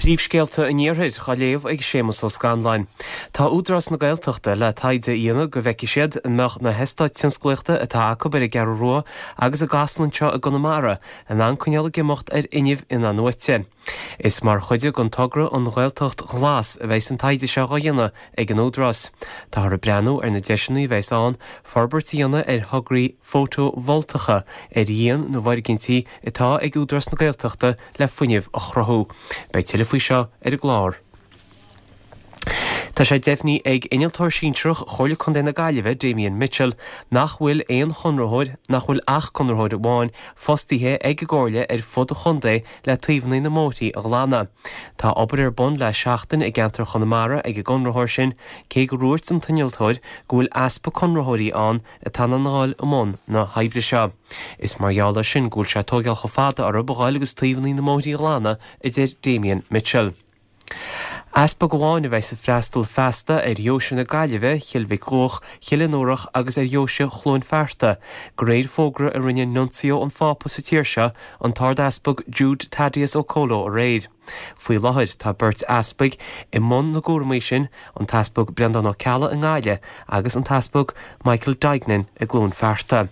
Príomhscéalta an Iarthair á léamh ag Séamus Ó Scanláin. Tá Údarás na Gaeltachta le taighde a dhéanamh go bhfeicfidh siad an mbeadh na heastáit tionsclaíochta atá acu ar an gCeathrú Rua agus i gCasla anseo i gConamara in ann coinneáil ag imeacht ar fhuinneamh in-athnuaite. Is mar chuid den togra An Ghaeltacht Ghlas a bheidhs an taighde seo á dhéanamh ag an Údarás. Táthar ag breathnú ar na deiseanna a bheidhs ann forbairt a dhéanamh ar thograí fótavoltacha ar dhíon na bhfoirgintí atá ag Údarás na Gaeltachta le fuinneamh a chruthú. Beidh tuilleadh faoi seo ar an gclár. Tá sé deimhnithe ag Innealtóir Sinsearach Chomhairle Contae na Gaillimhe, Damien Mitchell, nach bhfuil aon chonraitheoir, nach bhfuil ach conraitheoir amháin fostaithe ag an gComhairle ar fud an chontae le taobhanna na mbóithrí a ghlanadh. Tá obair ar bun le seachtain i gceantar Chonamara ag an gconraitheoir sin, cé gur dhúirt an t-innealtóir go bhfuil easpa conraitheoirí ann atá in ann a dhul i mbun na hoibre seo. Is mar gheall air sin go bhfuil sé ag tóigeáil chomh fada orthu a ghoil agus taobhanna na mbóithrí a ghlanadh, a deir Damien Mitchell. Easpag amháin a bheas ag freastal feasta ar Dheoise na Gaillimhe, Chill Mhic Dhuach, Chill Fhionnúrach agus ar Dheoise Chluain Fearta, de réir fógra a rinne Nuncio an Phápa sa tír seo, an tArd-Easpag Jude Thaddeus Okolo aréir. Faoi láthair tá beirt easpaig i mbun na gcúramaí sin, an tEaspag Breandán Ó Ceallaigh i nGaillimh agus an tEaspag Michael Duignan i gCluain Fearta.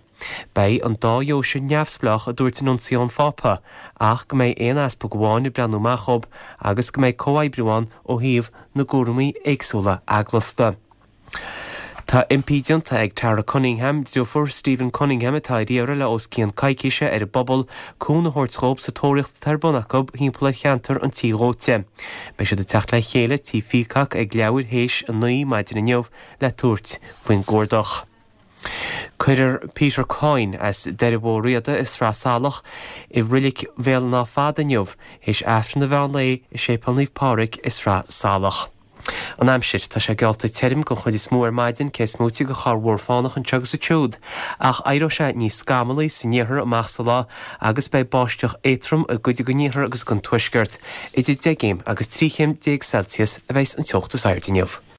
Beidh an dá dheoise neamhspleách, a dúirt Nuncio an Phápa, ach go mbeidh aon easpag amháin ag breathnú amach dhób agus go mbeidh comhoibriú ann ó thaobh na gcúramaí éagsúla eaglasta. Tá impí déanta ag Tara Cunningham, deirfiúr Stephen Cunningham atá ar iarraidh le os cionn coicíse, ar an bpobal cúnamh a thabhairt dhób sa tóraíocht atá ar bun acu thimpeall ar cheantar an Tí Dhóite. Beidh siad ag teacht le chéile Tí Pheacock ag leathuair théis 9 maidin inniu le tabhairt faoin gcuardach. Cuirfear Peter Coyne as Doire Bhó Riada i Sraith Salach i Reilig Bhéal an Átha Fada inniu théis Aifreann an mheán lae i Séipéal Naomh Pádraig i Sraith Salach. An aimsir, Tá sé geallta tirim den chuid is mó ar maidin, cé is móite de chorrmhúr fánach anseo agus ansiúd, ach éireoidh sé níos scamallaí san iarthar amach sa lá agus beidh báisteach éadtrom i gcuid den iarthar agus den tuaisceart. Idir 10 gcéim agus 13 chéim Celsius a bheidhs an teocht is airde inniu.